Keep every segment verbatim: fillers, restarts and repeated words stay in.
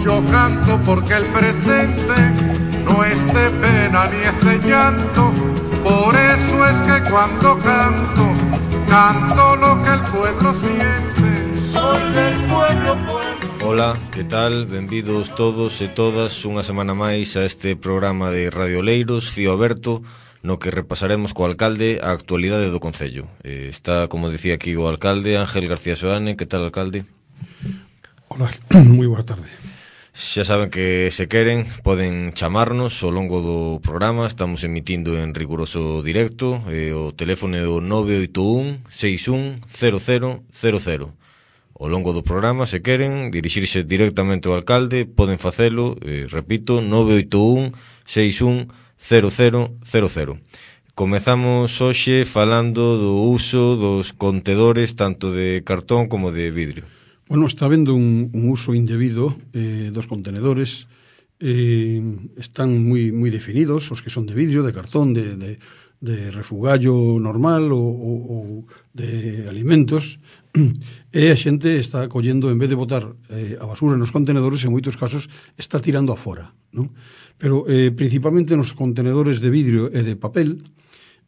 Yo canto porque el presente no es de pena ni es de llanto, por eso es que cuando canto, canto lo que el pueblo siente. Soy del pueblo, pueblo. Ola, que tal? Benvidos todos e todas unha semana máis a este programa de Radio Oleiros, Fío Aberto, no que repasaremos co alcalde a actualidade do concello. Eh, está, como decía aquí o alcalde, Ángel García Soane. Que tal, alcalde? Hola, moi boa tarde. Xa saben que se queren poden chamarnos ao longo do programa. Estamos emitindo en riguroso directo. eh, O teléfono é o nove oito un, seis un, cero cero cero cero. Ao longo do programa, se queren dirixirse directamente ao alcalde, poden facelo, eh, repito, nove oito un, seis un, cero cero cero cero. Comezamos hoxe falando do uso dos contedores tanto de cartón como de vidrio. Bueno, está habendo un, un uso indebido eh, dos contenedores. Eh, están moi moi definidos, os que son de vidrio, de cartón, de, de, de refugallo normal ou, ou, ou de alimentos. E a xente está collendo, en vez de botar eh, a basura nos contenedores, en moitos casos está tirando afora, non? Pero eh, principalmente nos contenedores de vidrio e de papel,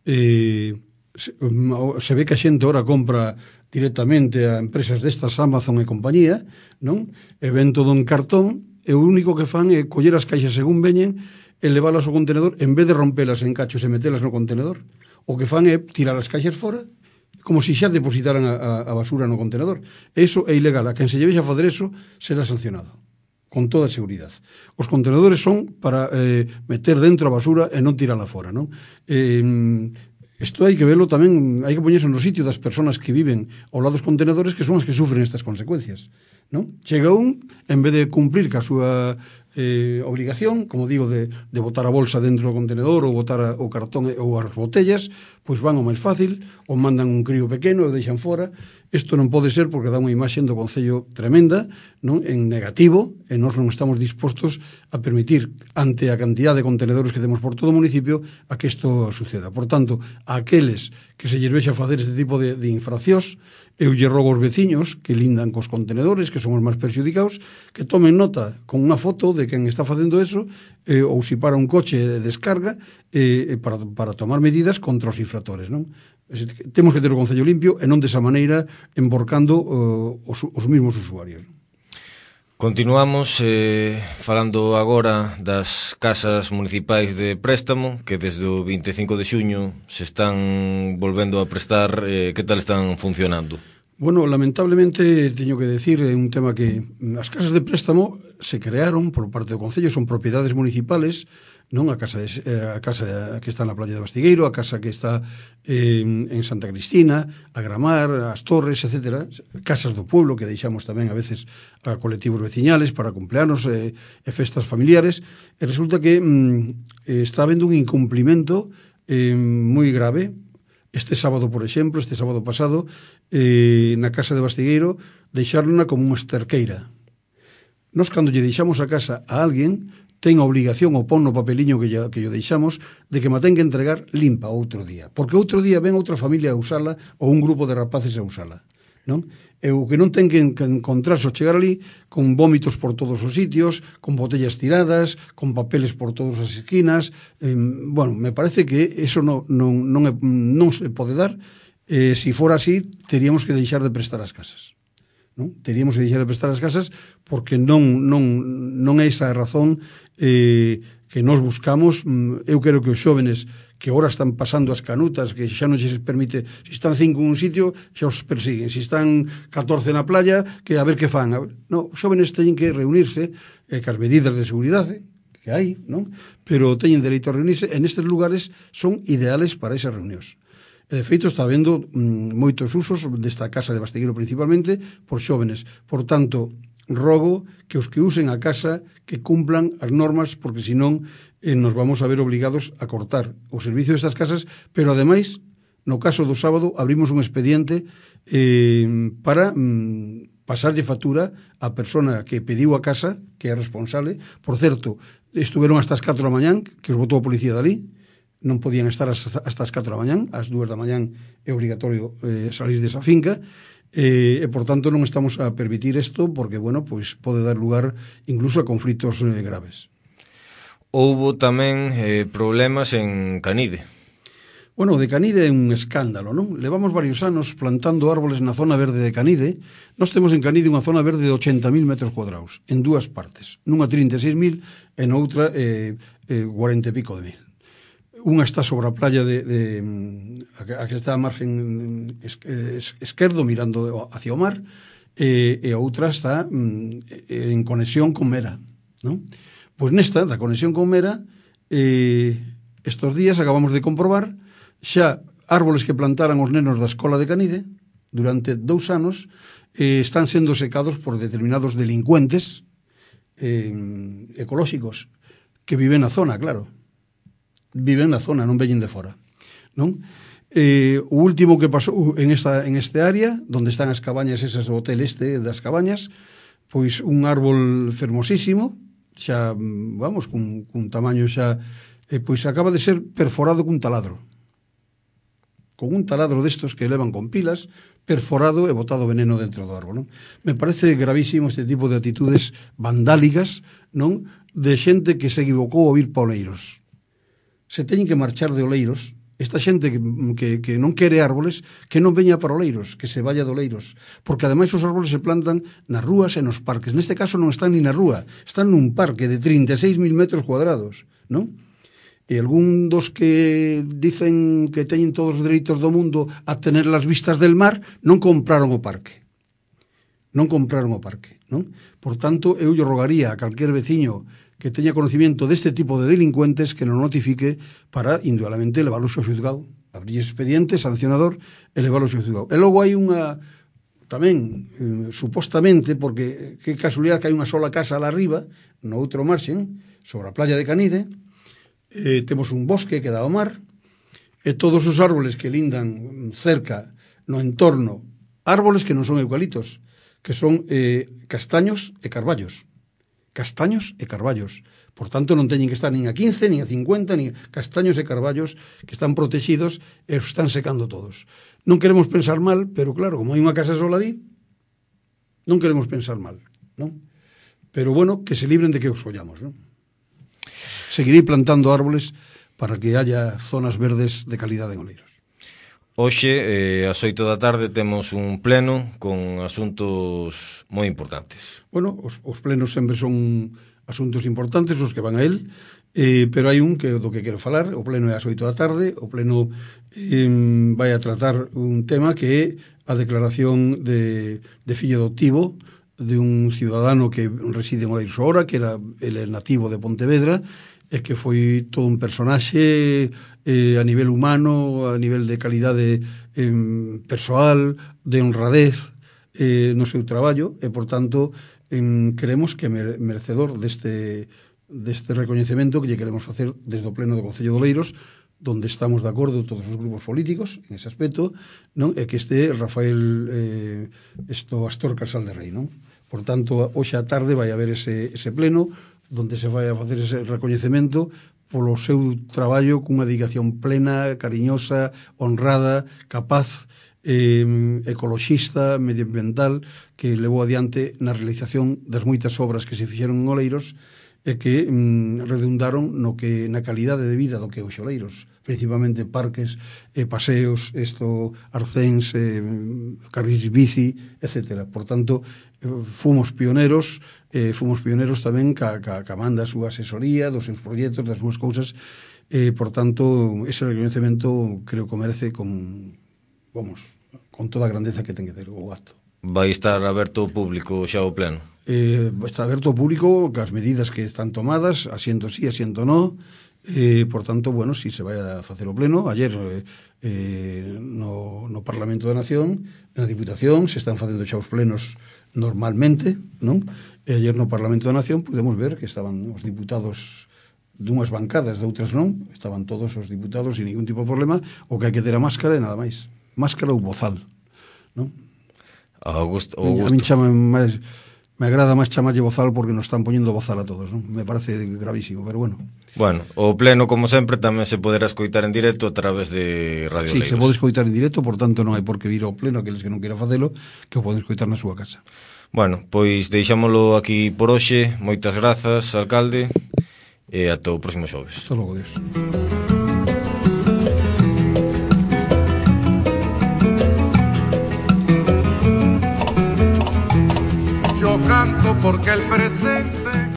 eh, se, se ve que a xente ora compra directamente a empresas destas, Amazon e compañía, non? E ven todo en cartón, e o único que fan é coller as caixas según veñen e leválas ao contenedor, en vez de rompelas en cachos e metelas no contenedor. O que fan é tirar as caixas fora, como se xa depositaran a, a, a basura no contenedor. Eso é ilegal. A quen se lleve a fazer eso será sancionado, con toda a seguridade. Os contenedores son para eh, meter dentro a basura e non tirala fora, non? Eh, Isto hai que verlo tamén, hai que poñerse no sitio das persoas que viven ao lado dos contenedores, que son as que sufren estas consecuencias, non? Chega un, en vez de cumplir ca súa eh, obligación, como digo, de, de botar a bolsa dentro do contenedor ou botar a, o cartón ou as botellas, pois van ao máis fácil, ou mandan un crío pequeno e o deixan fora. Isto non pode ser porque dá unha imaxe do Concello tremenda, non? En negativo, e nós non estamos dispostos a permitir, ante a cantidad de contenedores que temos por todo o municipio, a que isto suceda. Por tanto, a aqueles que se lles vexa facer este tipo de, de infraccións, eu lle rogo aos veciños que lindan cos contenedores, que son os máis perxudicados, que tomen nota con unha foto de quen está facendo eso, eh, ou se para un coche de descarga, eh, para, para tomar medidas contra os infractores, non? Temos que ter o Concello limpio e non desa maneira emborcando uh, os, os mismos usuarios. Continuamos eh, falando agora das casas municipais de préstamo, que desde o vinte e cinco de xuño se están volvendo a prestar. Eh, que tal están funcionando? Bueno, lamentablemente teño que decir, é un tema que as casas de préstamo se crearon por parte do Concello, son propiedades municipales, non? A casa, de, a casa que está na playa de Bastigueiro, a casa que está eh, en Santa Cristina, a Gramar, as Torres, etcétera, casas do pueblo que deixamos tamén a veces a colectivos veciñales para cumpleanos e, e festas familiares, e resulta que mm, está habendo un incumplimento eh, moi grave. Este sábado, por exemplo, este sábado pasado, eh, na casa de Bastigueiro, deixárona como unha esterqueira. Nos, cando lle deixamos a casa a alguén, ten a obligación, ou pon no papeliño que lle, que lle deixamos, de que ma ten que entregar limpa outro día. Porque outro día ven outra familia a usala, ou un grupo de rapaces a usala, non? E o que non ten que encontrarse ao chegar ali con vómitos por todos os sitios, con botellas tiradas, con papeles por todas as esquinas. Eh, bueno, me parece que eso non, non, non, é, non se pode dar. Eh, si fora así, teríamos que deixar de prestar as casas, non? Teríamos que deixar de prestar as casas porque non, non, non é esa a razón eh, que nós buscamos. Eu quero que os xóvenes que ahora están pasando as canutas, que xa non se permite, se están cinco en un sitio, xa os persiguen, se están catorce na playa, que a ver que fan. Non, os xóvenes teñen que reunirse eh, cas medidas de seguridade que hai, non? Pero teñen dereito a reunirse, en estes lugares son ideales para esas reunións. E de feito está habendo mm, moitos usos desta casa de Bastigueiro principalmente por xóvenes. Por tanto, rogo que os que usen a casa que cumplan as normas, porque senón eh, nos vamos a ver obligados a cortar o servicio destas casas. Pero ademais, no caso do sábado, abrimos un expediente eh, para mm, pasarlle factura a persona que pediu a casa, que é responsable. Por certo, estuveron hasta as catro da mañán, que os botou a policía dali, non podían estar hasta as catro da mañán, ás dúas da mañán é obrigatorio eh, salir desa finca, eh, e por tanto non estamos a permitir isto porque, bueno, pois pode dar lugar incluso a conflitos eh, graves. Houbo tamén eh, problemas en Canide. Bueno, o de Canide é un escándalo, non? Levamos varios anos plantando árboles na zona verde de Canide. Nós temos en Canide unha zona verde de ochenta mil metros cuadrados, en dúas partes. Nunha trinta e seis mil e noutra eh, eh, cuarenta e pico de mil. Unha está sobre a playa de, de a que está a margen es, es, esquerdo, mirando hacia o mar, e, e a outra está mm, en conexión con Mera, non? Pois nesta, da conexión con Mera, eh, estos días acabamos de comprobar xa árboles que plantaran os nenos da escola de Canide durante dous anos eh, están sendo secados por determinados delincuentes eh, ecolóxicos que viven na zona, claro. Viven na zona, non veñen de fora, non? Eh, o último que pasou en esta en este área, onde están as cabañas esas do hotel este das cabañas, pois un árbol fermosísimo, xa, vamos, cun, cun tamaño xa, eh, pois acaba de ser perforado cun taladro. Con un taladro destos que levan con pilas, perforado e botado veneno dentro do árbol, non? Me parece gravísimo este tipo de actitudes vandálicas, non? De xente que se equivocou ao vir pa Oleiros. Se teñen que marchar de Oleiros, esta xente que, que, que non quere árboles, que non veña para Oleiros, que se vaya de Oleiros, porque ademais os árboles se plantan nas rúas e nos parques. Neste caso non están ni na rúa, están nun parque de trinta e seis mil metros cuadrados, non? E algún dos que dicen que teñen todos os dereitos do mundo a tener las vistas del mar non compraron o parque. Non compraron o parque, non? Por tanto, eu lle rogaría a calquer veciño que teña conocimiento deste tipo de delincuentes que non notifique para, indudablemente, leválos ao xuzgado, abrir expediente sancionador e leválos ao xuzgado. E logo hai unha, tamén, eh, supostamente, porque que casualidade que hai unha sola casa lá arriba, no outro marxen, sobre a playa de Canide, eh, temos un bosque que dá ao mar, e todos os árboles que lindan cerca no entorno, árboles que non son eucaliptos, que son eh, castaños e carballos. Castaños e carballos. Por tanto, non teñen que estar nin a quince, nin a cincuenta, nin castaños e carballos que están protegidos e os están secando todos. Non queremos pensar mal, pero claro, como hai unha casa sola ali, non queremos pensar mal, non? Pero bueno, que se libren de que os ollamos, non? Seguirei plantando árboles para que haya zonas verdes de calidade en Oleiros. Hoxe, eh, ás oito da tarde, temos un pleno con asuntos moi importantes. Bueno, os, os plenos sempre son asuntos importantes, os que van a él, eh, pero hai un que do que quero falar. O pleno é ás oito da tarde. O pleno eh, vai a tratar un tema que é a declaración de, de fillo adoptivo de un ciudadano que reside en Oleiros ahora, que era el nativo de Pontevedra, e que foi todo un personaxe eh, a nivel humano, a nivel de calidade eh, persoal, de honradez eh, no seu traballo, e por tanto eh, queremos que merecedor deste, deste recoñecemento que lle queremos facer desde o pleno do Concello de Oleiros, donde estamos de acordo todos os grupos políticos en ese aspecto, non? E que este Rafael eh, esto Astor Casal de Rei, non? Por tanto, hoxe á tarde vai haber ese, ese pleno donde se vai a facer ese recoñecemento polo seu traballo cunha dedicación plena, cariñosa, honrada, capaz, eh, ecoloxista, medioambiental, que levou adiante na realización das moitas obras que se fixeron en Oleiros e que mm, redundaron no que na calidade de vida do que é o Oleiros, principalmente parques, eh, paseos, esto, arcéns, eh, carris bici, etcétera. Por tanto, eh, fomos pioneros, eh, fomos pioneros tamén ca, ca, ca manda a súa asesoría, dos seus proxectos, das súas cousas, eh, por tanto, ese reconhecemento creo que merece con, vamos, con toda a grandeza que ten que ter o acto. Vai estar aberto ao público xa o pleno? Eh, está aberto ao público cas medidas que están tomadas, asiento sí, asiento no. Eh, por tanto, bueno, si se vai a facer o pleno, ayer eh, eh, no, no Parlamento da Nación, na Diputación, se están facendo xa os plenos normalmente, non? E ayer no Parlamento da Nación pudemos ver que estaban os diputados dunhas bancadas, de outras non, estaban todos os diputados sin ningún tipo de problema, o que hai que ter a máscara e nada máis. Máscara ou bozal, non? A Augusto, A Augusto. mí chama máis, me agrada máis chamarlle bozal porque nos están poñendo bozal a todos, non? Me parece gravísimo, pero bueno. Bueno, o pleno, como sempre, tamén se poderá escoitar en directo a través de Radio Sí, Leigos. se pode escoitar en directo, por tanto non hai por que vir ao pleno aqueles que non queiran facelo, que o poden escoitar na súa casa. Bueno, pois deixámolo aquí por hoxe. Moitas grazas, alcalde, e ata o próximo xoves. Hasta logo, Dios. Yo canto porque el presente